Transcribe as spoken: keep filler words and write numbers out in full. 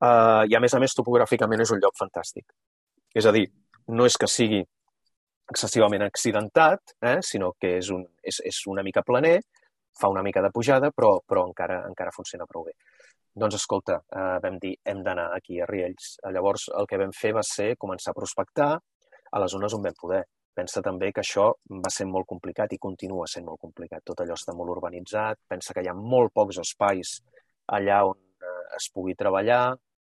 Uh, I a més a més topogràficament és un lloc fantàstic. És a dir, no és que sigui excessivament accidentat, eh, sinó que és, un, és, és una mica planer, fa una mica de pujada, però, però encara, encara funciona prou bé. Doncs escolta, eh, vam dir, hem d'anar aquí a Riells. Llavors el que vam fer va ser començar a prospectar a les zones on vam poder. Pensa també que això va ser molt complicat i continua sent molt complicat. Tot allò està molt urbanitzat, pensa que hi ha molt pocs espais allà on eh, es pugui treballar,